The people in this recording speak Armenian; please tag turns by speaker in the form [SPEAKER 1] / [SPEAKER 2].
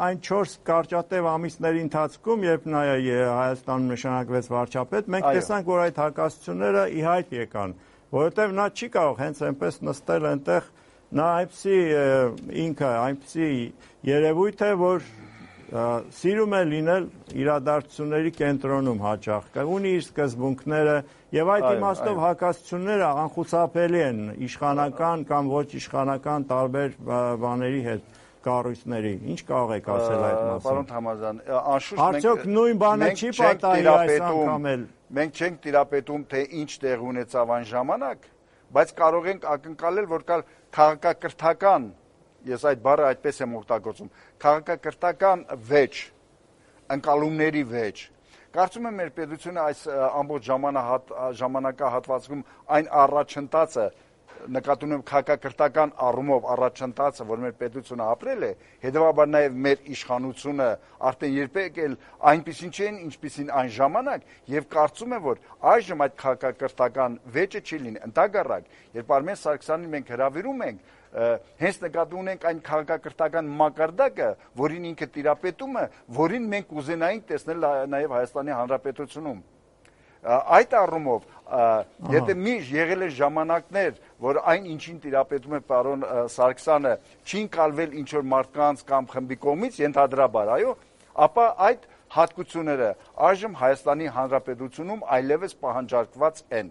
[SPEAKER 1] այն 4 կարճատև ամիսների ընթացքում, երբ Հայաստանում նշանակվեց վարչապետ, մենք տեսանք, որ այդ հակասությունները ի հայտ եկան, որովհետև նա չի կարող հենց այնպես նստել այնտեղ, նա այնպիսի երևույթ է, որ սիրում է լինել իրադարձությունների կենտրոնում հաճախ, ունի իր սկզբունքները եւ այդ իմաստով հակասությունները անխուսափելի են իշխանական կամ ոչ իշխանական տարբեր բաների հետ կառույցների։ Ինչ կարող եք ասել այդ մասին։
[SPEAKER 2] Պարոն Թամազյան, անշուշտ
[SPEAKER 1] արդյոք նույն բանը չի պատահի այս անգամ էլ։
[SPEAKER 2] Մենք չենք տիրապետում, թե ինչ տեղ ունեցավ այն ժամանակ, բայց կարող ենք ակնկալել, որ կար քաղաքակրթական, ես այդ բառը այդպես եմ օգտագործում, քաղաքակրթական վեճ, ընկալումների վեճ։ Կարծում եմ մեր պետությունը այս ամբողջ ժամանակահատվածում այն առաջընթացը, նկատի ունեմ քաղաքակրթական առումով առաջընթացը, որ մեր պետությունը ապրել է, հետևաբար նաև մեր իշխանությունը արդեն երբեք էլ այնպիսին չէին, ինչպիսին այն ժամանակ, եւ կարծում եմ, որ այժմ այդ քաղաքակրթական վեճը չի լինի, ընդհակառակ, երբ Արմեն Սարգսյանին մենք հրավիրում ենք, հենց նկատի ունենք այն քաղաքակրթական մակարդակը, որին ինքը տիրապետում է, որին մենք ուզենայինք տեսնել նաև Հայաստանի Հանրապետությունում։ Այդ առումով, եթե միշտ եղել է ժամանակներ, որ այն ինչին տիրապետում է պարոն Սարգսյանը, չի ընկալվել ինչ-որ մարդկանց կամ խմբի կողմից, ենթադրաբար, այո, ապա այդ հատկությունները այժմ Հայաստանի Հանրապետությունում այլևս պահանջարկված են։